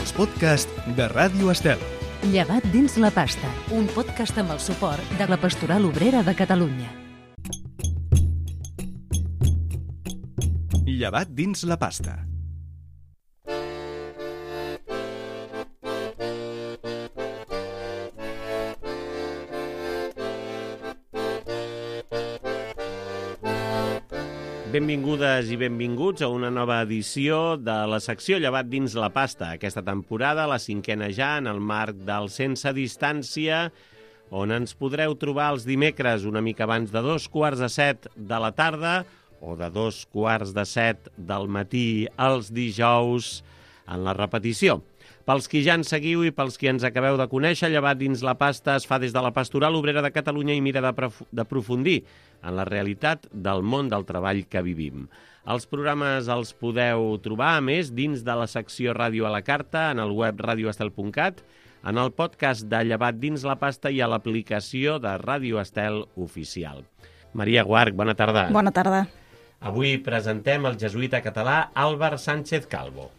els podcasts de Ràdio Estel. Llevat dins la pasta, un podcast amb el suport de la Pastoral Obrera de Catalunya. Llevat dins la pasta. Benvingudes i benvinguts a una nova edició de la secció Llevat dins la pasta. Aquesta temporada, la 5a ja, en el marc del Sense Distància, on ens podreu trobar els dimecres una mica abans de 6:45 de la tarda o de 6:45 del matí els dijous en la repetició. Pels qui ja ens seguiu i pels qui ens acabeu de conèixer, Llevat dins la pasta es fa des de la Pastoral Obrera de Catalunya i mira d'aprofundir en la realitat del món del treball que vivim. Els programes els podeu trobar, a més, dins de la secció Ràdio a la Carta, en el web radioestel.cat, en el podcast de Llevat dins la pasta i a l'aplicació de Ràdio Estel Oficial. Maria Guarch, bona tarda. Bona tarda. Avui presentem el jesuïta català Álvar Sánchez Calvo.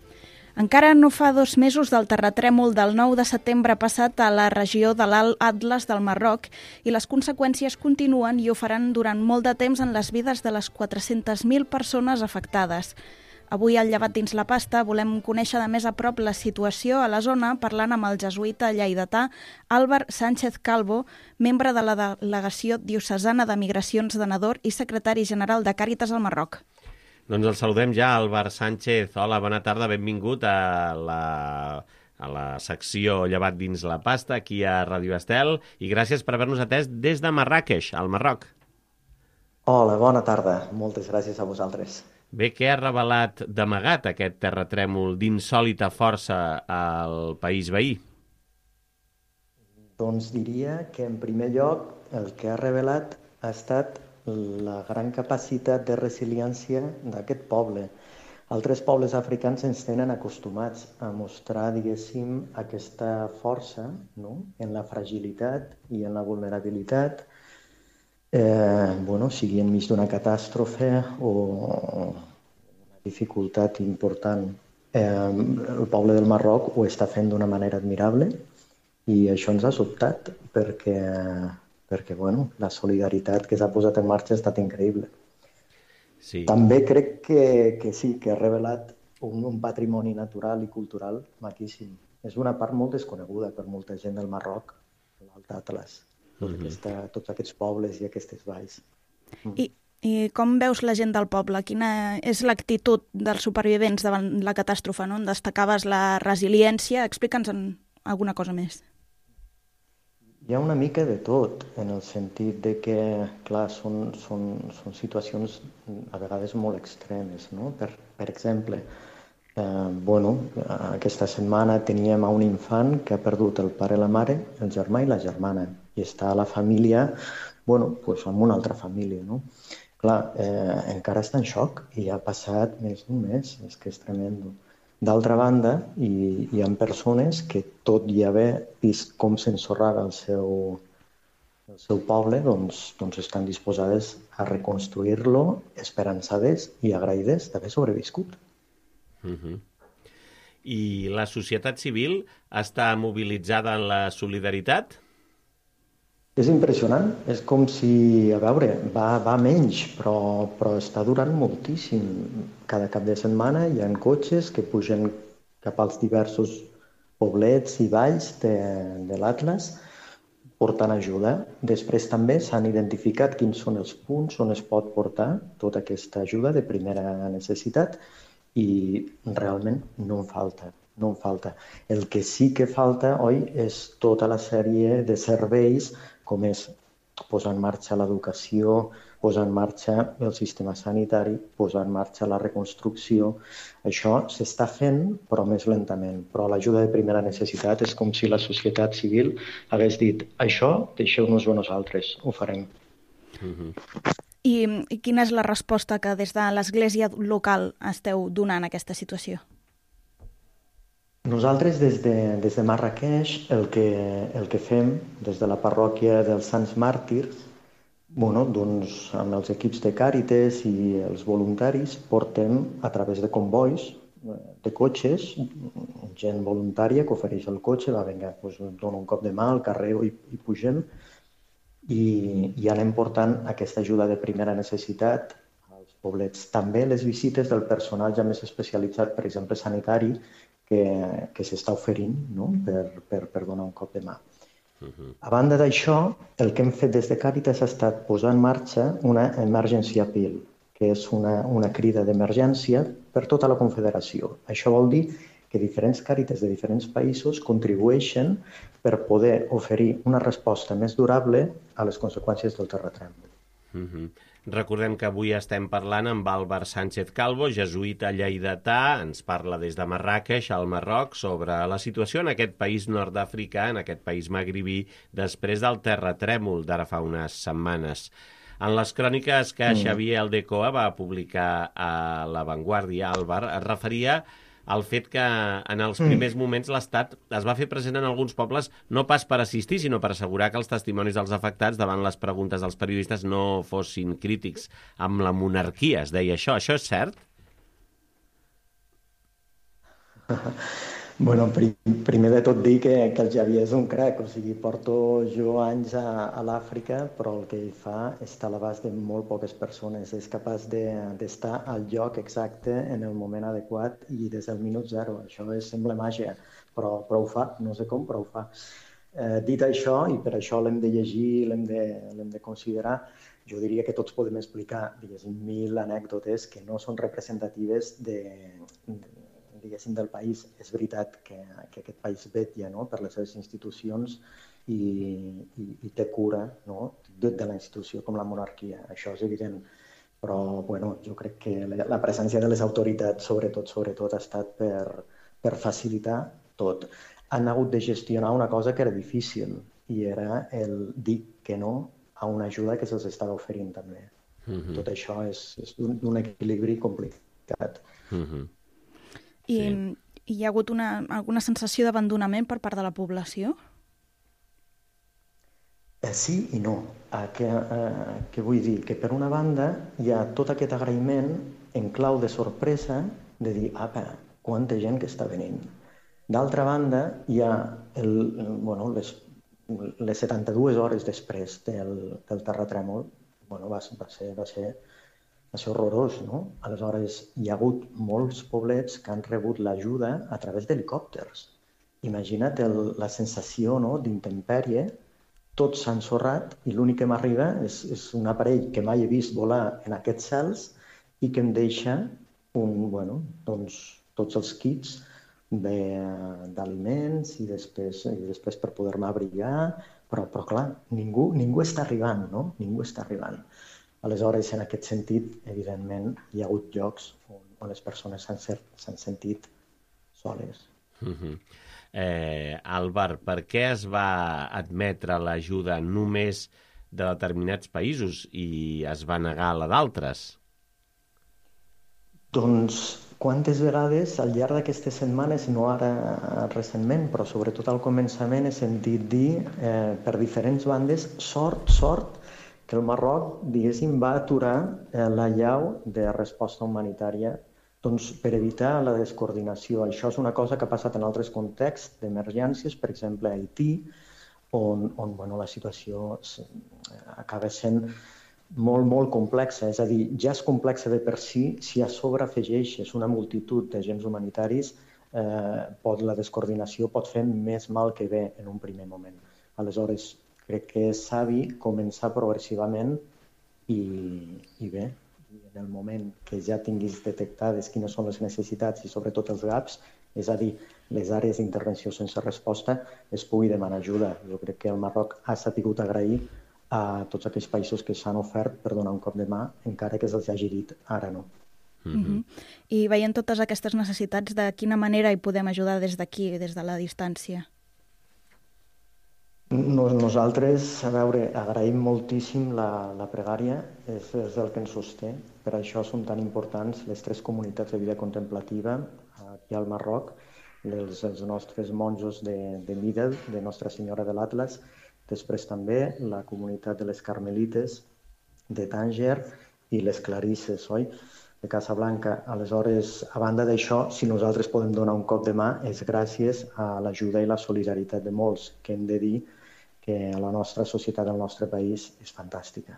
Encara no fa 2 mesos del terratrèmol del 9 de setembre passat a la regió de l'Alt Atles del Marroc i les conseqüències continuen i ho faran durant molt de temps en les vides de les 400.000 persones afectades. Avui al Llevat dins la pasta volem conèixer de més a prop la situació a la zona parlant amb el jesuïta lleidatà Álvar Sánchez Calvo, membre de la Delegació Diocesana de Migracions de Nador i secretari general de Càritas al Marroc. Doncs el saludem ja, Álvar Sánchez. Hola, bona tarda, benvingut a la secció Llevat dins la pasta, aquí a Ràdio Estel, i gràcies per haver-nos atès des de Marràqueix, al Marroc. Hola, bona tarda. Moltes gràcies a vosaltres. Bé, què ha revelat d'amagat aquest terratrèmol d'insòlita força al país veí? Doncs diria que, en primer lloc, el que ha revelat ha estat la gran capacitat de resiliència d'aquest poble. Altres pobles africans ens tenen acostumats a mostrar, diguéssim, aquesta força, no?, en la fragilitat i en la vulnerabilitat, sigui enmig d'una catàstrofe o una dificultat important. El poble del Marroc ho està fent d'una manera admirable i això ens ha sobtat perquè la solidaritat que s'ha posat en marxa ha estat increïble. Sí. També crec que sí, que ha revelat un patrimoni natural i cultural maquíssim. És una part molt desconeguda per molta gent del Marroc, l'Alt Atles, tots aquests pobles i aquestes valls. I com veus la gent del poble? Quina és l'actitud dels supervivents davant la catàstrofe, no? En destacaves la resiliència. Explica'ns alguna cosa més. Hi ha una mica de tot, en el sentit de que, clar, són situacions a vegades molt extremes, no? Per exemple, aquesta setmana teníem un infant que ha perdut el pare, la mare, el germà i la germana, i està a la família, amb una altra família, no? Clar, encara està en xoc i ha passat més d'un mes, és que és tremendo. D'altra banda, hi ha persones que, tot i haver vist com s'ensorrava el seu poble, doncs estan disposades a reconstruir-lo, esperançades i agraïdes d'haver sobreviscut. I la societat civil està mobilitzada en la solidaritat? És impressionant, és com si, a veure, va menys, però està durant moltíssim. Cada cap de setmana hi ha cotxes que pugen cap als diversos poblets i valls de l'Atles portant ajuda. Després també s'han identificat quins són els punts on es pot portar tota aquesta ajuda de primera necessitat i realment no en falta. No en falta. El que sí que falta, oi, és tota la sèrie de serveis com és posar en marxa l'educació, posar en marxa el sistema sanitari, posar en marxa la reconstrucció. Això s'està fent, però més lentament. Però l'ajuda de primera necessitat és com si la societat civil hagués dit això deixeu-nos-ho a nosaltres, ho farem. I quina és la resposta que des de l'Església local esteu donant a aquesta situació? Nosaltres des de Marràqueix el que fem des de la parròquia dels Sants Màrtirs, doncs amb els equips de Càritas i els voluntaris portem a través de convois de cotxes, gent voluntària que ofereix el cotxe, va, vinga, doncs dono un cop de mà al carrer i pugem, i anem portant aquesta ajuda de primera necessitat als poblets. També les visites del personal ja més especialitzat, per exemple, sanitari, que s'està oferint, no? per donar un cop de mà. A banda d'això, el que hem fet des de Càritas ha estat posar en marxa una Emergency Appeal, que és una crida d'emergència per tota la Confederació. Això vol dir que diferents Càritas de diferents països contribueixen per poder oferir una resposta més durable a les conseqüències del terratrèmol. Recordem que avui estem parlant amb Álvar Sánchez Calvo, jesuïta lleidatà, ens parla des de Marràqueix, al Marroc, sobre la situació en aquest país nord-africà, en aquest país magribí, després del terratrèmol d'ara fa unes setmanes. En les cròniques que Xavier Aldecoa va publicar a La Vanguardia, Álvar, es referia al fet que en els primers moments l'Estat es va fer present en alguns pobles no pas per assistir, sinó per assegurar que els testimonis dels afectats davant les preguntes dels periodistes no fossin crítics amb la monarquia. Es deia això. Això és cert? Bueno, primer de tot dir que el Xavier és un crac, o sigui, porto jo anys a l'Àfrica, però el que ell fa està a l'abast de molt poques persones. És capaç d'estar al lloc exacte en el moment adequat i des del minut zero. Això sembla màgia, però ho fa, no sé com, però ho fa. Dit això, i per això l'hem de llegir, l'hem de considerar, jo diria que tots podem explicar, diguéssim, 1000 anècdotes que no són representatives diguéssim, del país. És veritat que aquest país vetlla, no?, per les seves institucions i té cura, no?, de la institució com la monarquia. Això és evident. Però bueno, jo crec que la presència de les autoritats, sobretot, ha estat per facilitar tot. Han hagut de gestionar una cosa que era difícil, i era el dir que no a una ajuda que se'ls estava oferint també. Tot això és un equilibri complicat. I hi ha hagut alguna sensació d'abandonament per part de la població? Sí i no. Què vull dir? Que per una banda hi ha tot aquest agraïment en clau de sorpresa de dir, apa, quanta gent que està venint. D'altra banda, hi ha les 72 hores després del terratrèmol. Va ser horrorós, no? Aleshores, hi ha hagut molts poblets que han rebut l'ajuda a través d'helicòpters. Imagina't la sensació, no?, d'intempèrie. Tots s'han ensorrat i l'únic que m'arriba és un aparell que mai he vist volar en aquests cels i que em deixa tots els kits d'aliments i després per poder-me abrigar. Però clar, ningú està arribant, no? Ningú està arribant. Aleshores, en aquest sentit, evidentment, hi ha hagut llocs on les persones s'han sentit soles. Álvar, per què es va admetre l'ajuda només de determinats països i es va negar la d'altres? Doncs quantes vegades al llarg d'aquestes setmanes, no ara recentment, però sobretot al començament, he sentit dir per diferents bandes, sort, que el Marroc, diguéssim, va aturar l'allau de resposta humanitària per evitar la descoordinació. Això és una cosa que ha passat en altres contexts d'emergències, per exemple a Haití, on la situació acaba sent molt complexa. És a dir, ja és complexa de per si a sobre afegeixes una multitud d'agents humanitaris, la descoordinació pot fer més mal que bé en un primer moment. Aleshores, crec que és savi començar progressivament i bé, en el moment que ja tinguis detectades quines són les necessitats i sobretot els gaps, és a dir, les àrees d'intervenció sense resposta, es pugui demanar ajuda. Jo crec que el Marroc ha sabut agrair a tots aquells països que s'han ofert per donar un cop de mà, encara que se'ls hagi dit ara no. I veient totes aquestes necessitats, de quina manera hi podem ajudar des d'aquí, des de la distància? Nosaltres, agraïm moltíssim la pregària, és el que ens sosté. Per això són tan importants les 3 comunitats de vida contemplativa aquí al Marroc, els nostres monjos de Midel, de Nostra Senyora de l'Atlas, després també la comunitat de les Carmelites de Tànger i les Clarisses, oi? de Casablanca. Aleshores, a banda d'això, si nosaltres podem donar un cop de mà és gràcies a l'ajuda i la solidaritat de molts, que hem de dir que la nostra societat, el nostre país, és fantàstica.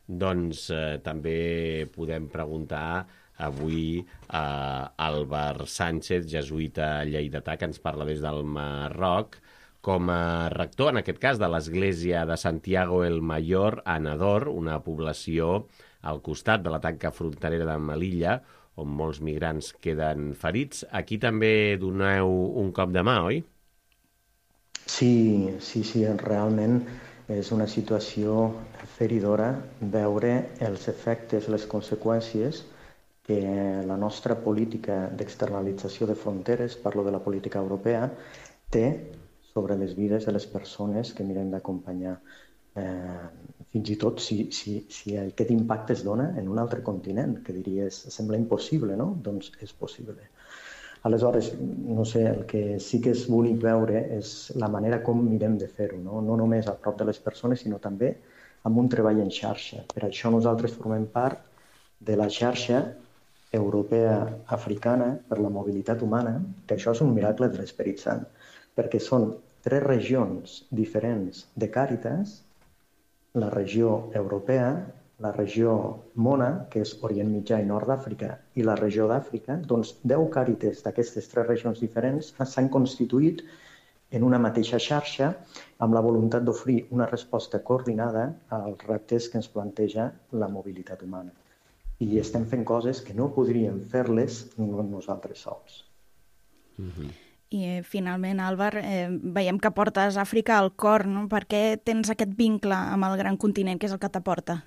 Doncs també podem preguntar avui a Álvar Sánchez, jesuïta lleidatà, que ens parla des del Marroc, com a rector, en aquest cas, de l'església de Santiago el Mayor, a Nador, una població al costat de la tanca fronterera de Melilla, on molts migrants queden ferits. Aquí també doneu un cop de mà, oi? Sí, realment és una situació feridora veure els efectes, les conseqüències que la nostra política d'externalització de fronteres, parlo de la política europea, té sobre les vides de les persones que mirem d'acompanyar. Fins i tot si aquest impacte es dona en un altre continent, que diries, sembla impossible, no? Doncs és possible. Aleshores, no sé, el que sí que és bonic veure és la manera com mirem de fer-ho, no només a prop de les persones, sinó també amb un treball en xarxa. Per això nosaltres formem part de la xarxa europea africana per la mobilitat humana, que això és un miracle de l'Esperit Sant, perquè són 3 regions diferents de Càritas, la regió europea, la regió Mona, que és Orient Mitjà i Nord d'Àfrica, i la regió d'Àfrica, doncs 10 Càritas d'aquestes 3 regions diferents s'han constituït en una mateixa xarxa amb la voluntat d'oferir una resposta coordinada als reptes que ens planteja la mobilitat humana. I estem fent coses que no podríem fer-les nosaltres sols. I finalment, Álvar, veiem que portes Àfrica al cor, no? Per què tens aquest vincle amb el gran continent, que és el que t'aporta?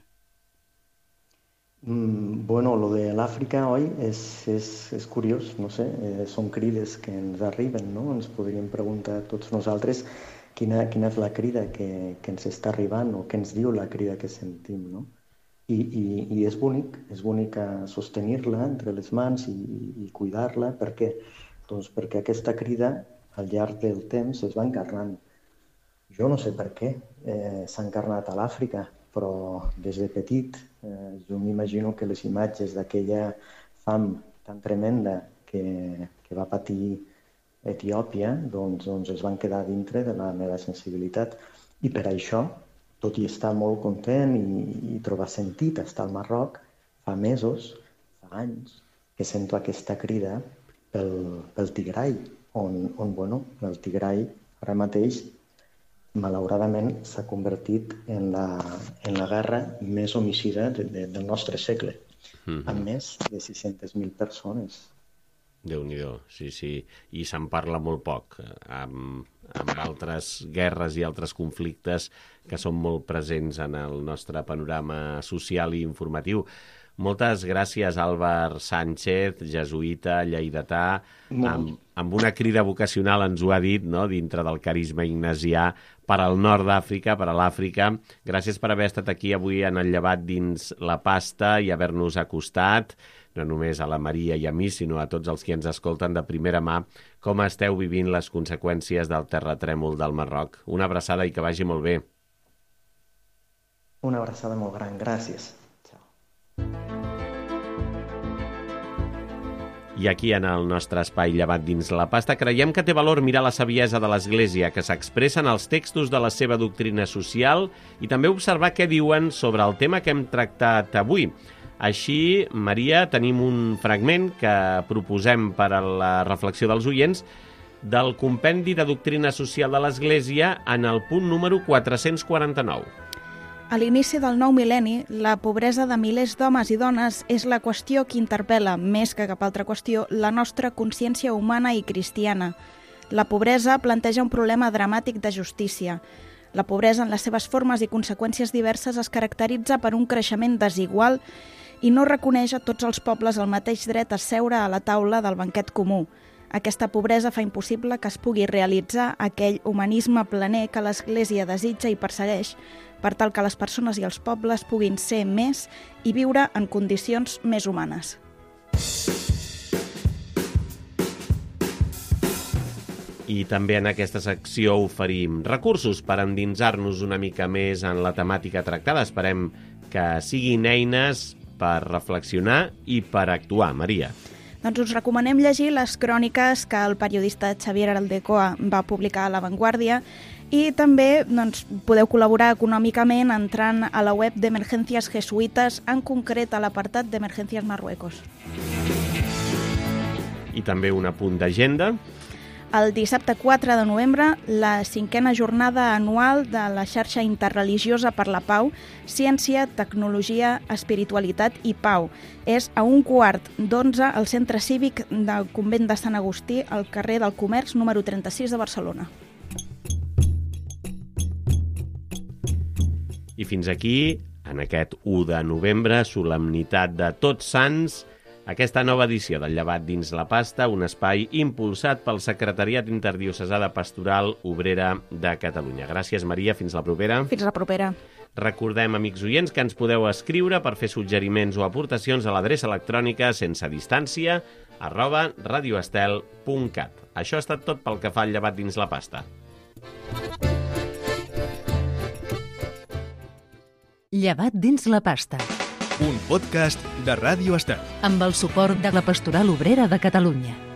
Bueno, lo de l'Àfrica, oi, és curiós, no sé, són crides que ens arriben, no? Ens podríem preguntar tots nosaltres quina és la crida que ens està arribant o què ens diu la crida que sentim, no? I és bonic sostenir-la entre les mans i cuidar-la. Per què? Doncs perquè aquesta crida al llarg del temps es va encarnant. Jo no sé per què s'ha encarnat a l'Àfrica, però des de petit jo m'imagino que les imatges d'aquella fam tan tremenda que va patir Etiòpia doncs es van quedar dintre de la meva sensibilitat. I per això, tot i estar molt content i trobar sentit estar al Marroc, fa mesos, fa anys, que sento aquesta crida pel Tigray, on el Tigray ara mateix, malauradament, s'ha convertit en la guerra més homicida del nostre segle, amb més de 600.000 persones. Déu-n'hi-do, sí. I se'n parla molt poc, amb altres guerres i altres conflictes que són molt presents en el nostre panorama social i informatiu. Moltes gràcies, Álvar Sánchez, jesuïta, lleidatà, amb una crida vocacional, ens ho ha dit, no?, dintre del carisma ignasià, per al nord d'Àfrica, per a l'Àfrica. Gràcies per haver estat aquí avui en el Llevat dins la pasta i haver-nos acostat, no només a la Maria i a mi, sinó a tots els que ens escolten de primera mà, com esteu vivint les conseqüències del terratrèmol del Marroc. Una abraçada i que vagi molt bé. Una abraçada molt gran, gràcies. I aquí, en el nostre espai Llevat dins la pasta, creiem que té valor mirar la saviesa de l'Església, que s'expressa en els textos de la seva doctrina social, i també observar què diuen sobre el tema que hem tractat avui. Així, Maria, tenim un fragment que proposem per a la reflexió dels oients del Compendi de Doctrina Social de l'Església en el punt número 449. A l'inici del nou mil·lenni, la pobresa de milers d'homes i dones és la qüestió que interpel·la, més que cap altra qüestió, la nostra consciència humana i cristiana. La pobresa planteja un problema dramàtic de justícia. La pobresa, en les seves formes i conseqüències diverses, es caracteritza per un creixement desigual i no reconeix a tots els pobles el mateix dret a seure a la taula del banquet comú. Aquesta pobresa fa impossible que es pugui realitzar aquell humanisme planer que l'Església desitja i persegueix, per tal que les persones i els pobles puguin ser més i viure en condicions més humanes. I també en aquesta secció oferim recursos per endinsar-nos una mica més en la temàtica tractada. Esperem que siguin eines per reflexionar i per actuar. Maria. Doncs us recomanem llegir les cròniques que el periodista Xavier Aldecoa va publicar a La Vanguardia i també podeu col·laborar econòmicament entrant a la web d'Emergències Jesuïtes, en concret a l'apartat d'Emergències Marruecos. I també un apunt d'agenda. El dissabte 4 de novembre, la 5a jornada anual de la xarxa interreligiosa per la pau, ciència, tecnologia, espiritualitat i pau. És a 11:15 al Centre Cívic del Convent de Sant Agustí, al carrer del Comerç, número 36 de Barcelona. I fins aquí, en aquest 1 de novembre, solemnitat de Tots Sants, aquesta nova edició del Llevat dins la pasta, un espai impulsat pel Secretariat Interdiocesà de Pastoral Obrera de Catalunya. Gràcies, Maria. Fins la propera. Fins la propera. Recordem, amics oients, que ens podeu escriure per fer suggeriments o aportacions a l'adreça electrònica sensedistància@radioestel.cat. Això ha estat tot pel que fa al Llevat dins la pasta. Llevat dins la pasta. Un podcast de Ràdio Estel. Amb el suport de la Pastoral Obrera de Catalunya.